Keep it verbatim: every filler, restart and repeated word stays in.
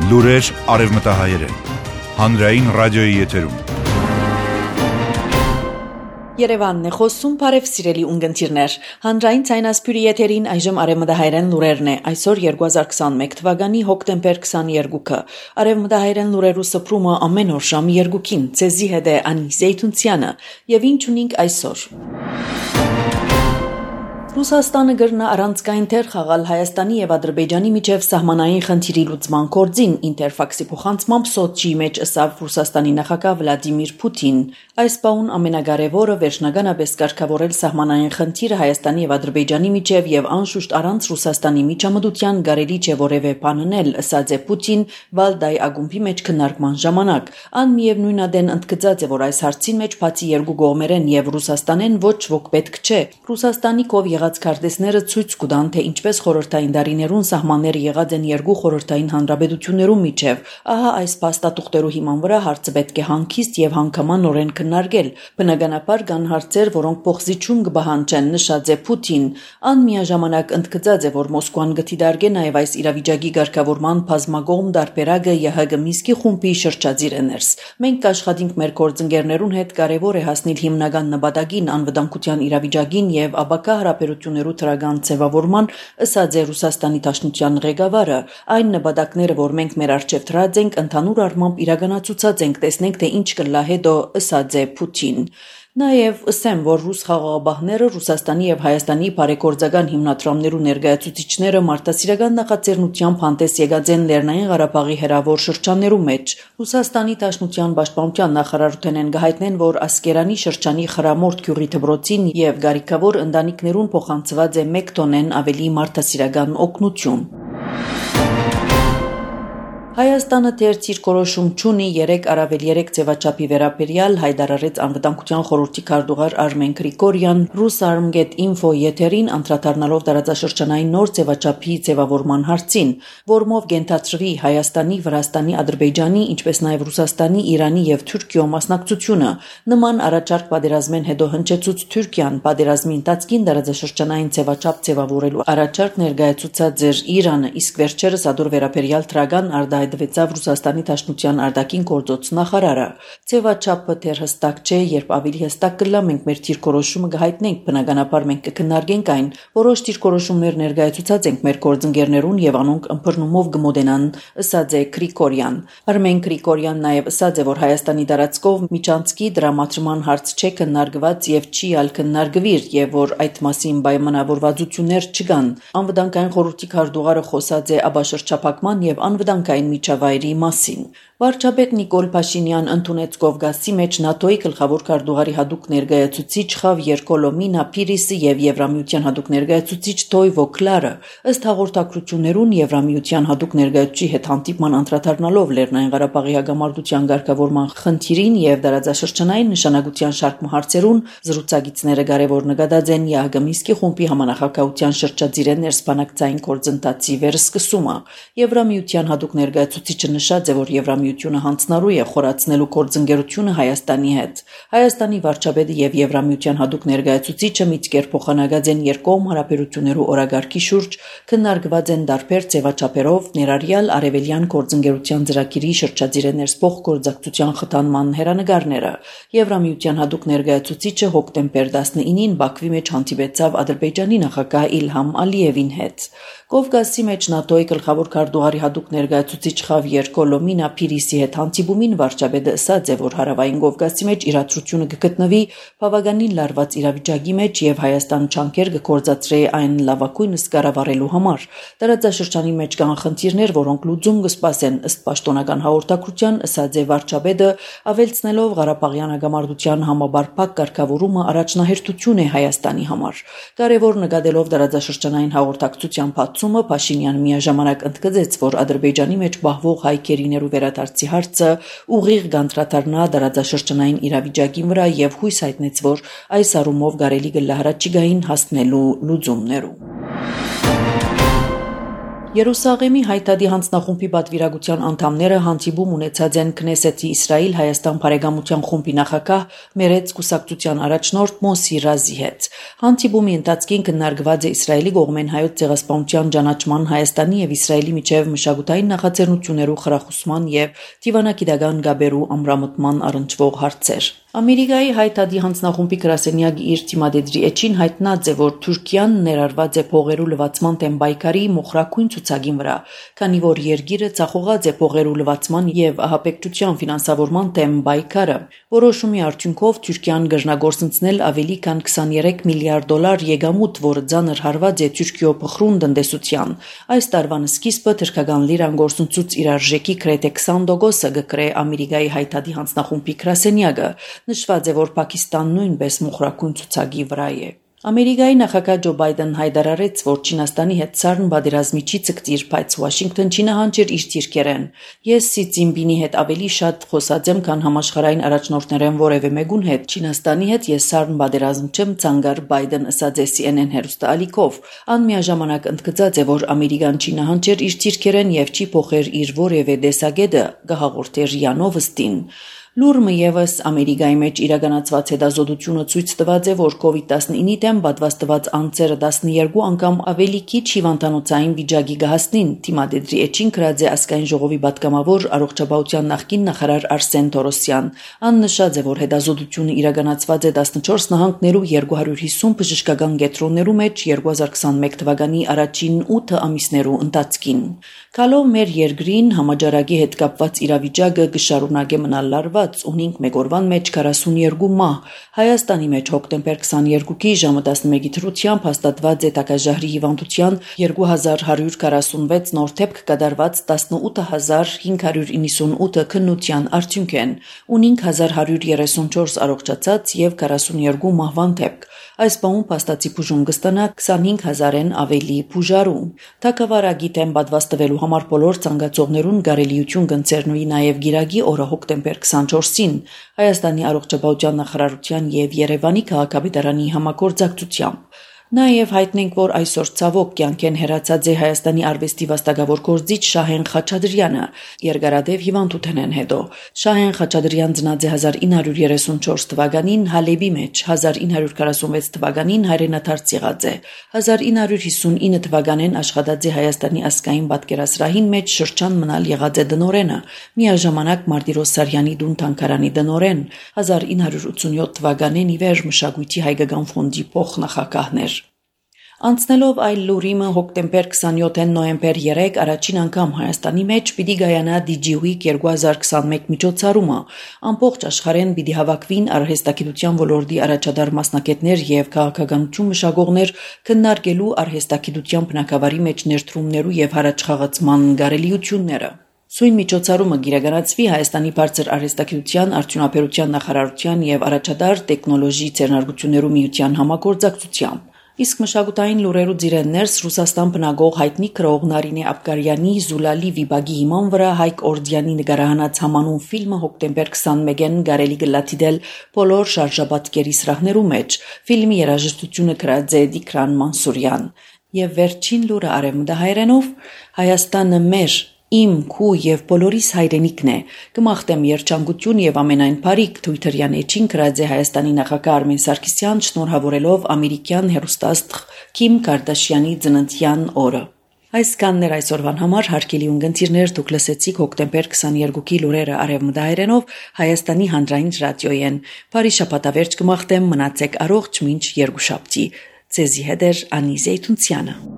Լուրեր արևմտահայերեն, հանրային ռադիոյի եթերում։ Երևանն է խոսում, բարև սիրելի ունգընտիրներ, հանրային ցայնասպյուրի եթերին այժմ արևմտահայերեն լուրերն է, այսօր երկու հազար քսանմեկ թվականի հոկտեմբեր քսաներկուը, արևմտահայերեն լուրերու սփռումը ամեն օր ժամը երկուքին, ցեզի հետ է Անի Զեյթունցյանը, եւ ինչ ունենք այսօր։ Ռուսաստանը գրնա առանցքային թեր խաղալ Հայաստանի եւ Ադրբեջանի միջև սահմանային խնդիրի լուծման գործին, Ինտերֆաքսի փոխանցմամբ Սոչիի մեջ ըսավ Ռուսաստանի նախագահ Վլադիմիր Պուտին։ Այս բանն ամենակարևորը վերջնականապես կարգավորել սահմանային խնդիրը Հայաստանի եւ Ադրբեջանի միջև եւ անշուշտ առանց Ռուսաստանի միջամտության կարելի չէ որևէ բան անել, ըսած է Պուտին Վալդայ ակումբի մեջ քննարկման ժամանակ։ Ան միևնույն ադեն ընդգծած է, որ այս հարցին մեջ բացի երկու կողմերեն եւ Ռուսաստանեն ոչ ոք պետք չէ։ Ռուսաստանի կով Քարտեզները ցույց կտան, թե ինչպես խորհրդային դարիներուն սահմանները եղած են երկու խորհրդային հանրապետություններու միջև։ Ահա այս փաստաթուղթերու հիման վրա հարցը պետք է հանգիստ եւ հանգամանորեն քննարկել։ Բնականաբար կան հարցեր, որոնք փոխզիջում կբահանջեն, նշած է Պուտին։ Ան միաժամանակ ընդգծած է, որ Մոսկվան գտիդարգե նաեւ այս իրավիճակի ղեկավարման բազմակողմ դարբերակը ԵՀԳ Միսկի խումբի շրջածիր էներս։ Մենք կաշխատենք մեր գործընկերներուն հետ կարևոր է հասնել հիմնական նպատակին, անվտանգության իրավիճակին եւ ապակա հարաբերություններու թրագան ձևավորման, ըսած է Ռուսաստանի Դաշնության ղեկավարը, այն նպատակները, որ մենք մեր առջև դրած ենք, ընդհանուր առմամբ իրականացուցած ենք, տեսնենք, թե ինչ կլա հետո, ըսած է Պուտին։ Նաև ըսեմ, որ ռուս խաղաղապահները Ռուսաստանի եւ Հայաստանի բարեգործական հիմնադրամներու ներկայացուցիչները մարտահրավերական նախաձեռնությամբ հանդես եկած են Լեռնային Ղարաբաղի հերավոր շրջաններու մեջ։ Ռուսաստանի Դաշնության պաշտպանության նախարարութենեն գահիտնեն, որ Ասկերանի շրջանի Խրամորդ գյուղի դպրոցին եւ Գարիկավոր ընտանիքներուն փոխանցված է մեկ տոնեն ավելի մարտահրավերական օգնություն։ Հայաստանը դեռ իր կորոշում չունի երեք առավել երեք ձևաչափի վերաբերյալ հայտարարեց անվտանգության խորհրդի քարտուղար Արմեն Գրիգորյան Rusarm.info եթերին անդրադառնալով տարածաշրջանային նոր ձևաչափի ձևավորման հարցին, որմով կենթադրվի Հայաստանի, Վրաստանի, Ադրբեջանի, ինչպես նաև Ռուսաստանի, Իրանի եւ Թուրքիո մասնակցությունը։ Նման առաջարկ պատերազմեն հետո հնչեցուց Թուրքիան պատերազմի ընթացքին տարածաշրջանային ձևաչափ ձևավորելու առաջարկ ներկայացուցած էր Իրանը, իսկ վերջերս ադոր վերաբերյալ թրագան արդա դվեցավ Ռուսաստանի Դաշնության արտաքին գործոց նախարարը։ Ձևաչափը դեռ հստակ չէ, երբ ավելի հստակ կլա, մենք մեր դիրքորոշումը կհայտնենք, բնականաբար մենք կքննարկենք այն։ Որոշ դիրքորոշումներ ներկայացուցած ենք մեր գործընկերներուն եւ անոնք ըմբռնումով կմոտենան, ըսած է Գրիգորյան։ Արմեն Գրիգորյան նաեւ ըսած է, որ Հայաստանի տարածքով միջանցքի դրամատրման հարց չէ քննարկված եւ չի ալ քննարկվիր եւ որ այդ մասին պայմանավորվածություններ չկան։ Անվտանգային խորհրդի քարտուղարը խոսած է աբաշրջափակման եւ անվտանգային միջավայրի մասին։ Վարչապետ Նիկոլ Փաշինյան ընդունեց Կովկասի մեջ ՆԱՏՕ-ի գլխավոր քարտուղարի հատուկ ներկայացուցիչ Խավիեր Կոլոմինա Պիրիսը եւ Եվրամիության հատուկ ներկայացուցիչ Թոյվո Կլարը, ըստ հաղորդակցություններուն Եվրամիության հատուկ ներկայացուցիչի հետ հանդիպման անդրադառնալով Լեռնային Ղարաբաղի հագամարտության ղեկավարման խնդիրին եւ դարաձաշրջանային նշանակության շարք հարցերուն զրուցակիցները կարևոր նկատած են ԵԱՀԿ Միսկի խումբի համանախագահության շրջածիրեն ներսպանակցային գործընթացի վերսկսումը։ Եվրամիության հատուկ ներկայացուցիչը նշած է, որ Եվրամիությունը հանձնարարու է խորացնելու գործընկերությունը Հայաստանի հետ։ Հայաստանի վարչապետը եւ Եվրամիության հատուկ ներկայացուցիչը միտքեր փոխանակած են երկկողմ հարաբերություններու օրագարկի շուրջ, քննարկված են տարբեր ձևաչափերով, ներառյալ արևելյան գործընկերության ծրագիրի շրջածիրեն ներսփոխ գործակցության խթանման հերանեկարները։ Եվրամիության հատուկ ներկայացուցիչը հոկտեմբեր տասնինին Բաքվի մեջ հանդիպեցավ Ադրբեջանի նախագահ Իլհամ Ալիևին հետ։ Կովկասի մեջ ՆԱՏՕ-ի գլխավոր քարտուղարի հատուկ ներկայացուցիչ Խավիեր Կոլոմինա Պիրիսի հետ հանդիպումին վարչապետը ըսած է, որ հարավային Կովկասի մեջ իրադրությունը կգտնվի բավականին լարված իրավիճակի մեջ եւ Հայաստան չանքեր կգործադրի այն լավագույնս կառավարելու համար։ Տարածաշրջանի մեջ կան խնդիրներ, որոնք լուծում կսպասեն, ըստ պաշտոնական հաղորդակցության ըսած է վարչապետը, ավելցնելով Ղարաբաղյան հակամարտության համաբարփակ կարգավորումը առաջնահերթություն է Հայաստանի համար։ Կարևոր նկատելով տարածաշրջանային հաղորդակցության փաթումը Փաշինյան միաժամանակ ընդգծեց, որ Ադրբեջանի մեջ բահվող հայ գերիներու վերադարձի հարցը ուղիղ կանդրադառնա տարածաշրջանային իրավիճակի վրա եւ հույս հայտնեց, որ այս առումով կարելի կլա հրաչիգային հասնելու լուծումներու։ Երուսաղեմի հայտարարի հանձնախումբի պատվիրակության անդամները հանդիպում ունեցած են Քնեսեթի Իսրայել-Հայաստան բարեկամության խումբի նախագահ Մերեց կուսակցության առաջնորդ Մոսի Ռազի հետ։ Հանդիպումի ընթացքին քննարկված է Իսրայելի կողմեն հայոց ցեղասպանության ճանաչման, Հայաստանի եւ Իսրայելի միջև մշակութային նախաձեռնություններու խրախուսման եւ դիվանագիտական գաբերու ամրամտման առնչվող հարցեր։ Ամերիկայի հայտարարի հանձնախումբի գրասենյակի իր թիմադեդրի էջին հայտնած է, որ Թուրքիան ներառված է փողերու լվացման դեմ պայքարի մոխրակույն ցուցակին վրա, քանի որ երկիրը ցախողած է փողերու լվացման եւ ահաբեկչության ֆինանսավորման դեմ պայքարը։ Որոշումի արդյունքով Թուրքիան կրնագործընծնել ավելի քան քսաներեք միլիարդ դոլար եկամուտ, որը ծանր հարված է Թուրքիո փխրուն տնտեսության։ Այս տարվան սկիզբը թրքական լիրան գործընծուց իր արժեքի գրեթե քսան տոկոսը կկրե Ամերիկայի հայտարարի հանձնախումբի գրասենյակը։ Նշված է, որ Պակիստանն նույնպես մոխրակույն ցուցակի վրա է։ Ամերիկայի նախագահ Ջո Բայդեն հայտարարեց, որ Չինաստանի հետ սարն պատերազմի չի ցկտիր, բայց Վաշինգտոն չի նահանջեր իր դիրքերեն։ Ես Սի Ցինպինի հետ ավելի շատ խոսած եմ, քան համաշխարհային առաջնորդներեն որևէ մեկուն հետ։ Չինաստանի հետ ես սարն պատերազմ չեմ ցանկար, Բայդեն ըսած է Սի Էն Էն հեռուստաալիքով։ Ան միաժամանակ ընդգծած է, որ Ամերիկան չի նահանջեր իր դիրքերեն եւ չի փոխեր իր որևէ դեսագետը, կհաղորդեր Յանովստին։ Լուրմը եւս Ամերիկայի մեջ իրականացված հետազոտությունը ցույց տված է, որ կովիդ տասնինի դեմ պատվաստված անձերը տասներկու անգամ ավելի քիչ հիվանդանոցային վիճակի կհասնին, թիմադեդրի էջին գրած է ազգային ժողովի պատգամավոր առողջապահության նախկին նախարար Արսեն Թորոսյան։ Ան նշած է, որ հետազոտությունը իրականացված է տասնչորս նահանգներու երկու հարյուր հիսուն բժշկական կենտրոններու մեջ երկու հազար քսաներեք թվականի առաջին ութ ամիսներու ընթացքին։ Կալով մեր երկրին համաճարակի հետ կապված իրավիճակը կշարունակե մնալ լարված, ունենք մեկ օրվան մեջ քառասունյոթ մահ։ Հայաստանի մեջ հոկտեմբեր քսաներկուի ժամը տասնմեկի թրությամբ հաստատված է տակաժահրի հիվանդության երկու հազար հարյուր քառասունվեց նոր դեպք կատարված տասնութ հազար հինգ հարյուր իննսունութ քննության արդյունքեն, ունենք հազար հարյուր երեսունչորս առողջացած եւ քառասունյոթ մահվան դեպք։ Այս բանում փաստացի բուժում կստանա քսանհինգ հազարեն ավելի բուժարու։ Թագավարակի դեմ պատվաստվելու համար բոլոր ցանկացողներուն կարելիություն կընձեռնուի նաև գիրագի օրը հոկտեմբեր քսանչորսին Հայաստանի առողջապահության նախարարության եւ Երևանի քաղաքապետարանի համագործակցությամբ։ Նաև հայտնենք, որ այսօր ցավոք կյանքեն հեռացած է Հայաստանի արվեստի վաստակավոր գործիչ Շահեն Խաչատրյանը, երկարատև հիվանդութենեն հետո։ Շահեն Խաչատրյան ծնած է հազար ինը հարյուր երեսունչորս թվականին Հալեբի մեջ, հազար ինը հարյուր քառասունվեց թվականին հայրենադարձ եղած է։ հազար ինը հարյուր հիսունինը թվականին աշխատած է Հայաստանի ազգային պատկերասրահին մեջ շրջան մնալ եղած է դնորենը, միաժամանակ Մարտիրոս Սարյանի դուն թանգարանի դնորեն, հազար ինը հարյուր ութսունյոթ թվականին ի վեր մշակույթի հայկական ֆոնդի փոխնախագահներ։ Անցնելով այլ լուրիմը հոկտեմբեր քսանյոթին նոյեմբեր երեք առաջին անգամ Հայաստանի մեջ պիտի գայանա Դիջիուիկ երկու հազար քսանմեկ միջոցառումը, ամբողջ աշխարհեն պիտի հավաքվին արհեստագիտության ոլորտի առաջադար մասնակիցներ եւ քաղաքականություն մշակողներ քննարկելու արհեստագիտության բնակավարի մեջ ներդրումներու եւ հարաճխաղացման գարելիությունները։ Սույն միջոցառումը կիրականացվի Հայաստանի բարձր արհեստագիտության արդյունաբերության նախարարության եւ առաջադար տեխնոլոգի ձեռնարկություններու միության համագործակցությամբ։ Իսկ մշակութային լուրերու ձիրեններս Ռուսաստան բնագող հայտնի քրող Նարինե Աբգարյանի Զուլալի վիբագի հիման վրա Հայկ Օրդյանի նկարահանած համանուն ֆիլմը հոկտեմբեր քսանմեկին կարելի կլատիդել բոլոր շարժապատկերի սրահներու մեջ։ Ֆիլմի երաժշտությունը գրած է Դիկրան Մանսուրյան։ Եվ վերջին լուրը արևմտահայերենով Հայաստանը մեր Իմ քու եւ բոլորիս հայրենիքն է։ Կմաղթեմ երջանկություն եւ ամենայն բարիք Թույթերյան էջին գրած է Հայաստանի նախագահ Արմեն Սարգսյան շնորհավորելով ամերիկյան հեռուստաստղ Քիմ Կարդաշյանի ծննդյան օրը։ Այս կաններ այսօրվան համար հարգելի ունգընտիրներ դուք լսեցիք հոկտեմբեր քսաներկուի լուրերը արևմտահայերենով Հայաստանի հանրային ռադիոյեն։ Բարի շաբաթավերջ կմաղթեմ մնացեք առողջ մինչ երկուշաբթի։ Ձեզի հետ է Անի Զեյթունցյանը։